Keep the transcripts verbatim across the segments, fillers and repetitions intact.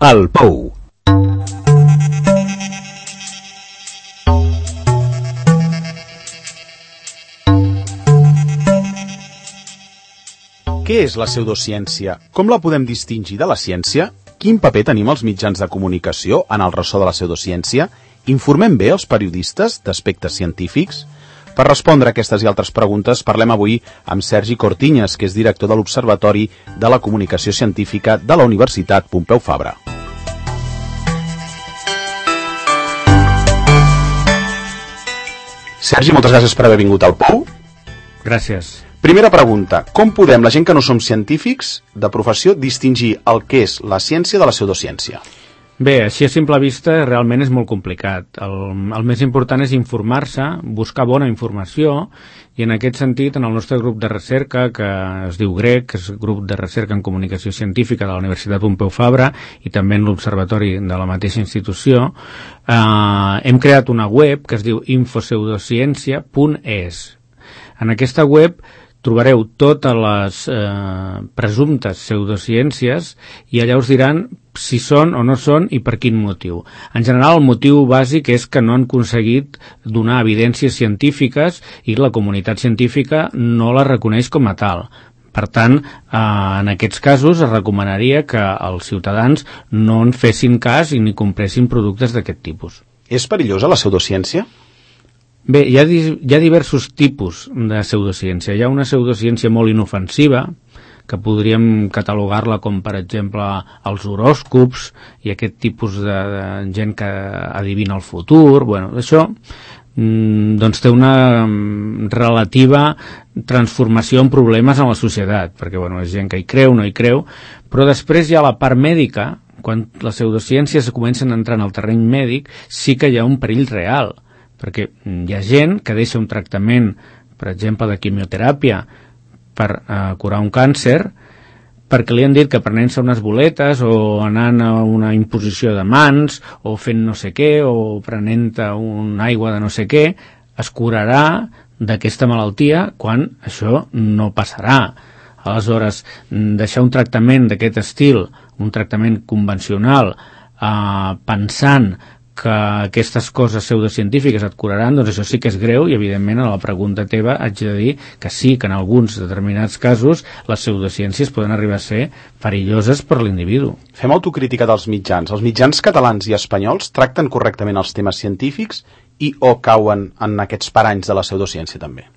El Pou. Què és la pseudociència? Com la podem distingir de la ciència? Quin paper tenim els mitjans de comunicació en el ressò de la pseudociència? Informem bé els periodistes d'aspectes científics? Per respondre a aquestes i altres preguntes parlem avui amb Sergi Cortiñas, que és director de l'Observatori de la Comunicació Científica de la Universitat Pompeu Fabra. Sergi, moltes gràcies per haver vingut al Pou. Gràcies. Primera pregunta, com podem, la gent que no som científics de professió, distingir el que és la ciència de la pseudociència? Bé, així a simple vista realment és molt complicat. El, el més important és informar-se, buscar bona informació, i en aquest sentit, en el nostre grup de recerca, que es diu GREC, que és Grup de Recerca en Comunicació Científica de la Universitat Pompeu Fabra, i també en l'Observatori de la mateixa institució, eh, hem creat una web que es diu infopseudociència punt es. En aquesta web trobareu totes les eh, presumptes pseudociències i allà us diran si són o no són i per quin motiu. En general, el motiu bàsic és que no han aconseguit donar evidències científiques i la comunitat científica no la reconeix com a tal. Per tant, eh, en aquests casos es recomanaria que els ciutadans no en fessin cas i ni compressin productes d'aquest tipus. És perillosa la pseudociència? Bé, hi ha, hi ha diversos tipus de pseudociència. Hi ha una pseudociència molt inofensiva, que podríem catalogar-la com, per exemple, els horòscops i aquest tipus de, de gent que adivina el futur. Bueno, això mm, doncs té una relativa transformació en problemes en la societat, perquè bueno, és gent que hi creu, no hi creu, però després hi ha la part mèdica, quan les pseudociències comencen a entrar en el terreny mèdic, sí que hi ha un perill real, perquè hi ha gent que deixa un tractament, per exemple, de quimioteràpia per eh, curar un càncer, perquè li han dit que prenent-se unes boletes o anant a una imposició de mans o fent no sé què o prenent una aigua de no sé què, es curarà d'aquesta malaltia quan això no passarà. Aleshores, deixar un tractament d'aquest estil, un tractament convencional, eh, pensant que aquestes coses pseudocientífiques et curaran, doncs això sí que és greu i evidentment a la pregunta teva haig de dir que sí, que en alguns determinats casos les pseudociències poden arribar a ser perilloses per l'individu. Fem autocrítica dels mitjans. Els mitjans catalans i espanyols tracten correctament els temes científics i o cauen en aquests paranys de la pseudociència també?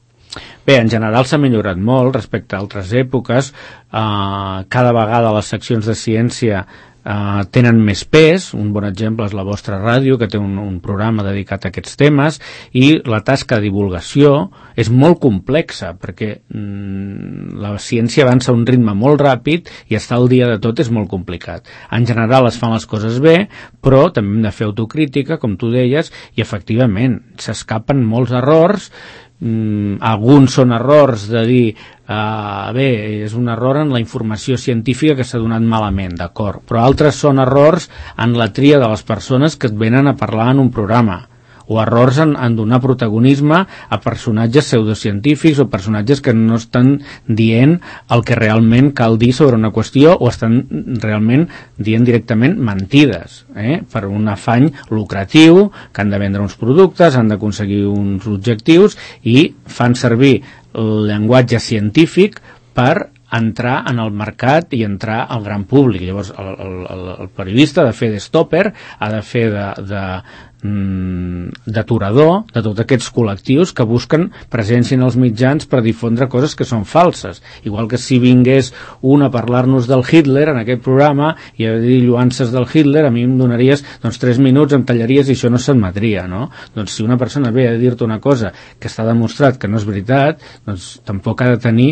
Bé, en general s'ha millorat molt respecte a altres èpoques. Uh, cada vegada les seccions de ciència Uh, tenen més pes. Un bon exemple és la vostra ràdio, que té un, un programa dedicat a aquests temes, i la tasca de divulgació és molt complexa, perquè mm, la ciència avança a un ritme molt ràpid i estar al dia de tot és molt complicat. En general es fan les coses bé, però també hem de fer autocrítica, com tu deies, i efectivament s'escapen molts errors. Mm, alguns són errors de dir uh, bé, és un error en la informació científica que s'ha donat malament, d'acord, però altres són errors en la tria de les persones que et venen a parlar en un programa, o errors en, en donar protagonisme a personatges pseudocientífics o personatges que no estan dient el que realment cal dir sobre una qüestió o estan realment dient directament mentides, eh? Per un afany lucratiu, que han de vendre uns productes, han d'aconseguir uns objectius i fan servir el llenguatge científic per entrar en el mercat i entrar al gran públic. Llavors el, el, el periodista ha de fer de stopper, ha de fer de, de d'aturador de tots aquests col·lectius que busquen presència en els mitjans per difondre coses que són falses. Igual que si vingués un a parlar-nos del Hitler en aquest programa i a dir lluances del Hitler, a mi em donaries doncs, tres minuts, em tallaries i això no s'admetria, no? Doncs si una persona ve a dir-te una cosa que està demostrat que no és veritat, doncs tampoc ha de tenir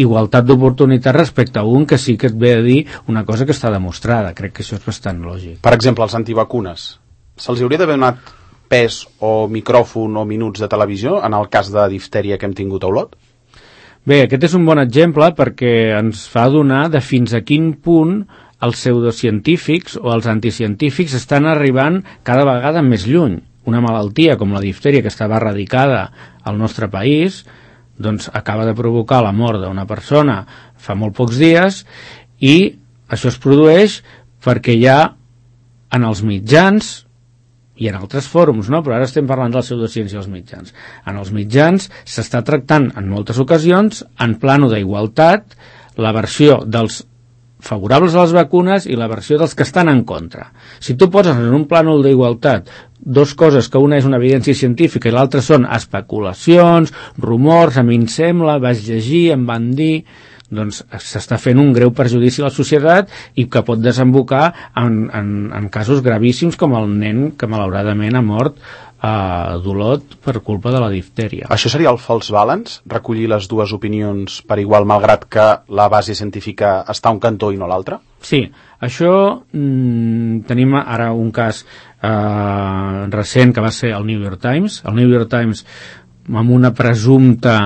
igualtat d'oportunitat respecte a un que sí que et ve a dir una cosa que està demostrada. Crec que això és bastant lògic. Per exemple, els antivacunes. Se'ls hauria d'haver donat pes o micròfon o minuts de televisió en el cas de diftèria que hem tingut a Olot? Bé, aquest és un bon exemple perquè ens fa donar de fins a quin punt els pseudocientífics o els anticientífics estan arribant cada vegada més lluny. Una malaltia com la diftèria, que estava erradicada al nostre país, doncs acaba de provocar la mort d'una persona fa molt pocs dies, i això es produeix perquè hi ha en els mitjans i en altres fòrums, no? Però ara estem parlant de la pseudociència als mitjans. En els mitjans s'està tractant en moltes ocasions, en plano d'igualtat, la versió dels favorables a les vacunes i la versió dels que estan en contra. Si tu poses en un plànol d'igualtat dos coses, que una és una evidència científica i l'altra són especulacions, rumors, a mi em sembla, vaig llegir, em van dir, doncs s'està fent un greu perjudici a la societat i que pot desembocar en, en, en casos gravíssims com el nen que malauradament ha mort a Dolot per culpa de la diftèria. Això seria el false balance? Recollir les dues opinions per igual, malgrat que la base científica està a un cantó i no a l'altre? Sí, això mmm, tenim ara un cas eh, recent que va ser el New York Times. El New York Times, amb una presumpta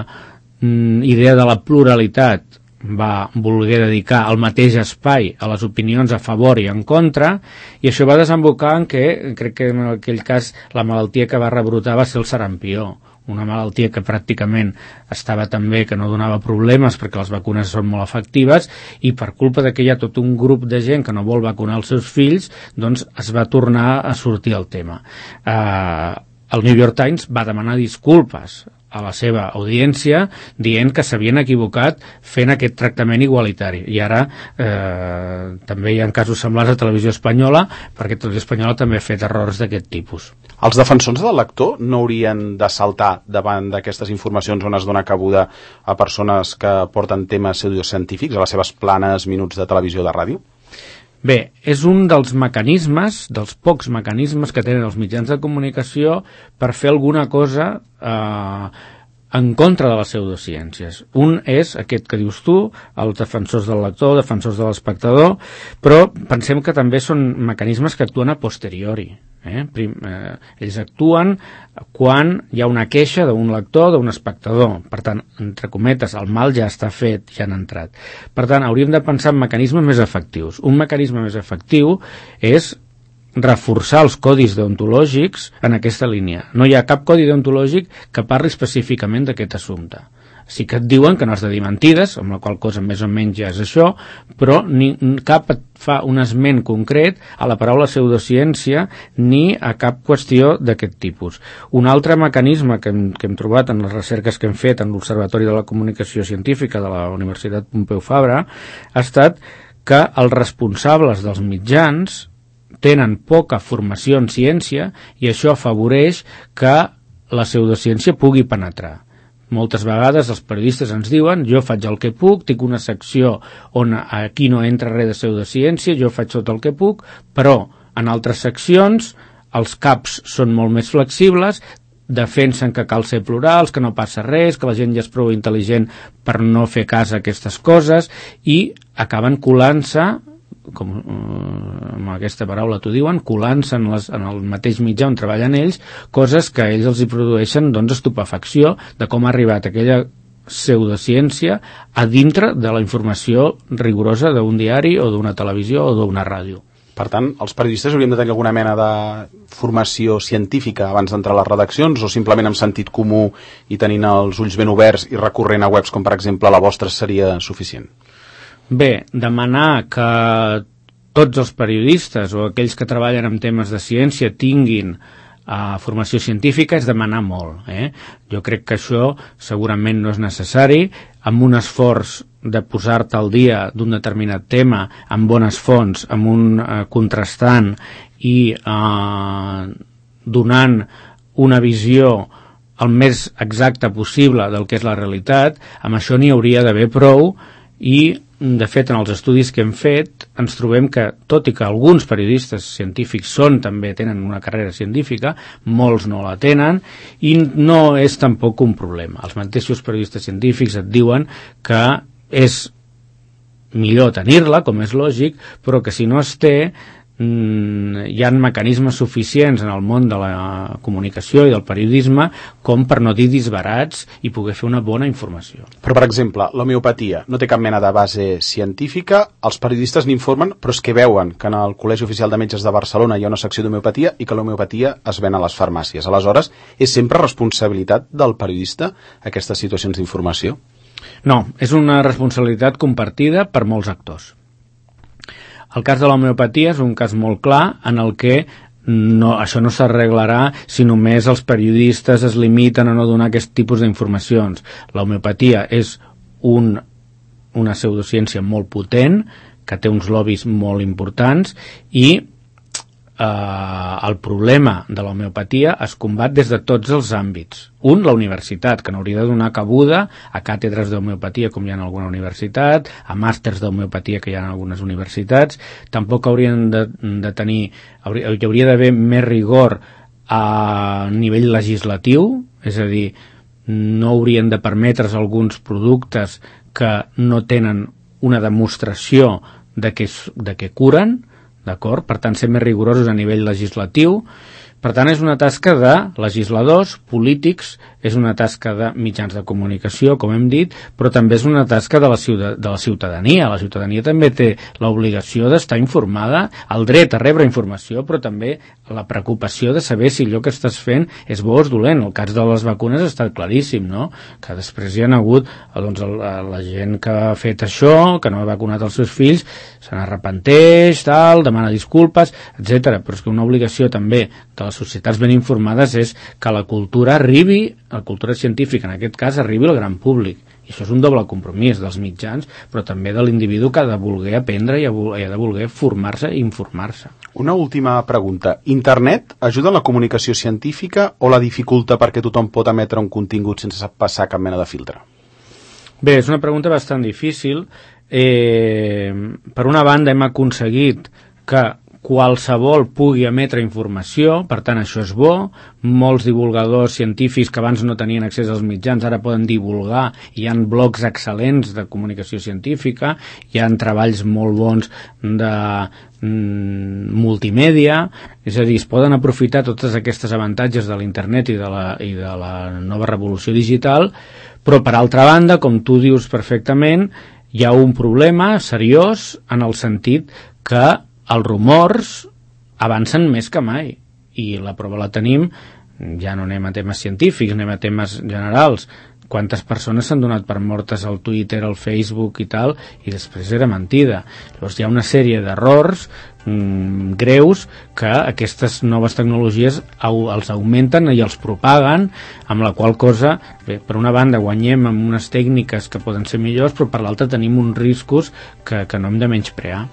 mm, idea de la pluralitat, va voler dedicar el mateix espai a les opinions a favor i en contra, i això va desembocar en què, crec que en aquell cas la malaltia que va rebrotar va ser el sarampió, una malaltia que pràcticament estava tan bé que no donava problemes perquè les vacunes són molt efectives, i per culpa de que hi ha tot un grup de gent que no vol vacunar els seus fills, doncs es va tornar a sortir el tema. Eh, el New York Times va demanar disculpes a la seva audiència dient que s'havien equivocat fent aquest tractament igualitari, i ara eh, també hi ha casos semblants a Televisió Espanyola, perquè Televisió Espanyola també ha fet errors d'aquest tipus. Els defensors del lector no haurien de saltar davant d'aquestes informacions on es dona cabuda a persones que porten temes pseudocientífics a les seves planes minuts de televisió o de ràdio? Bé, és un dels mecanismes, dels pocs mecanismes que tenen els mitjans de comunicació per fer alguna cosa eh, en contra de les pseudociències. Un és aquest que dius tu, els defensors del lector, defensors de l'espectador, però pensem que també són mecanismes que actuen a posteriori. Eh? Prim, eh, ells actuen quan hi ha una queixa d'un lector, d'un espectador. Per tant, entre cometes, el mal ja està fet, ja han entrat. Per tant, hauríem de pensar en mecanismes més efectius. Un mecanisme més efectiu és reforçar els codis deontològics en aquesta línia. No hi ha cap codi deontològic que parli específicament d'aquest assumpte. Sí que et diuen que no has de dir mentides, amb la qual cosa més o menys ja és això, però ni, cap et fa un esment concret a la paraula pseudociència ni a cap qüestió d'aquest tipus. Un altre mecanisme que hem, que hem trobat en les recerques que hem fet en l'Observatori de la Comunicació Científica de la Universitat Pompeu Fabra ha estat que els responsables dels mitjans tenen poca formació en ciència i això afavoreix que la pseudociència pugui penetrar. Moltes vegades els periodistes ens diuen jo faig el que puc, tinc una secció on aquí no entra res de pseudociència, jo faig tot el que puc, però en altres seccions els caps són molt més flexibles, defensen que cal ser plurals, que no passa res, que la gent ja és prou intel·ligent per no fer cas a aquestes coses, i acaben colant-se, com eh, amb aquesta paraula t'ho diuen, colant-se en, les, en el mateix mitjà on treballen ells, coses que ells els hi produeixen doncs, estupefacció de com ha arribat aquella pseudociència a dintre de la informació rigorosa d'un diari o d'una televisió o d'una ràdio. Per tant, els periodistes hauríem de tenir alguna mena de formació científica abans d'entrar a les redaccions, o simplement amb sentit comú i tenint els ulls ben oberts i recorrent a webs com per exemple la vostra seria suficient? Bé, demanar que tots els periodistes o aquells que treballen en temes de ciència tinguin uh, formació científica és demanar molt. Eh? Jo crec que això segurament no és necessari. Amb un esforç de posar-te al dia d'un determinat tema, amb bones fonts, amb un uh, contrastant i uh, donant una visió el més exacta possible del que és la realitat, amb això n'hi hauria d'haver prou. I, de fet, en els estudis que hem fet ens trobem que, tot i que alguns periodistes científics són també tenen una carrera científica, molts no la tenen, i no és tampoc un problema. Els mateixos periodistes científics et diuen que és millor tenir-la, com és lògic, però que si no es té, hi ha mecanismes suficients en el món de la comunicació i del periodisme com per no dir disbarats i poder fer una bona informació. Però, per exemple, l'homeopatia no té cap mena de base científica, els periodistes n'informen, però és que veuen que en el Col·legi Oficial de Metges de Barcelona hi ha una secció d'homeopatia i que l'homeopatia es ven a les farmàcies. Aleshores, és sempre responsabilitat del periodista aquestes situacions d'informació? No, és una responsabilitat compartida per molts actors. El cas de l'homeopatia és un cas molt clar en el que no, això no s'arreglarà si només els periodistes es limiten a no donar aquest tipus d'informacions. L'homeopatia és un, una pseudociència molt potent, que té uns lobbies molt importants, i eh, el problema de l'homeopatia es combat des de tots els àmbits. Un, la universitat, que n'hauria de donar cabuda a càtedres d'homeopatia, com hi ha en alguna universitat, a màsters d'homeopatia que hi ha en algunes universitats. Tampoc haurien de, de tenir, hauria, hi hauria d'haver més rigor a nivell legislatiu, és a dir, no haurien de permetre's alguns productes que no tenen una demostració de que, de que curen, d'acord? Per tant, ser més rigorosos a nivell legislatiu. Per tant, és una tasca de legisladors, polítics, és una tasca de mitjans de comunicació, com hem dit, però també és una tasca de la, ciutat, de la ciutadania. La ciutadania també té l'obligació d'estar informada, el dret a rebre informació, però també la preocupació de saber si allò que estàs fent és bo o és dolent. El cas de les vacunes està claríssim, no? Que després hi ha hagut doncs, la gent que ha fet això, que no ha vacunat els seus fills, se n'arrepenteix, tal, demana disculpes, etcètera. Però és que una obligació també de les societats ben informades és que la cultura arribi, la cultura científica en aquest cas, arribi al gran públic. I això és un doble compromís dels mitjans, però també de l'individu que ha de voler aprendre i ha de voler formar-se i informar-se. Una última pregunta. Internet ajuda en la comunicació científica o la dificulta perquè tothom pot emetre un contingut sense passar cap mena de filtre? Bé, és una pregunta bastant difícil. Eh, per una banda hem aconseguit que qualsevol pugui emetre informació, per tant això és bo. Molts divulgadors científics que abans no tenien accés als mitjans ara poden divulgar, hi ha blogs excel·lents de comunicació científica, hi ha treballs molt bons de mm, multimèdia, és a dir, es poden aprofitar totes aquestes avantatges de l'internet i de la, i de la nova revolució digital, però per altra banda, com tu dius perfectament, hi ha un problema seriós en el sentit que els rumors avancen més que mai i la prova la tenim, ja no anem a temes científics, anem a temes generals. Quantes persones s'han donat per mortes al Twitter, al Facebook i tal, i després era mentida. Llavors hi ha una sèrie d'errors mmm, greus que aquestes noves tecnologies au, els augmenten i els propaguen, amb la qual cosa, bé, per una banda guanyem amb unes tècniques que poden ser millors, però per l'altra tenim uns riscos que, que no hem de menysprear.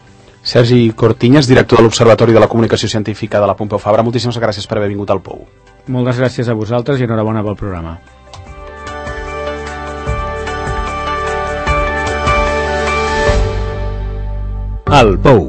Sergi Cortiñas, director de l'Observatori de la Comunicació Científica de la Pompeu Fabra, moltíssimes gràcies per haver vingut al Pou. Moltes gràcies a vosaltres i enhorabona pel programa. El Pou,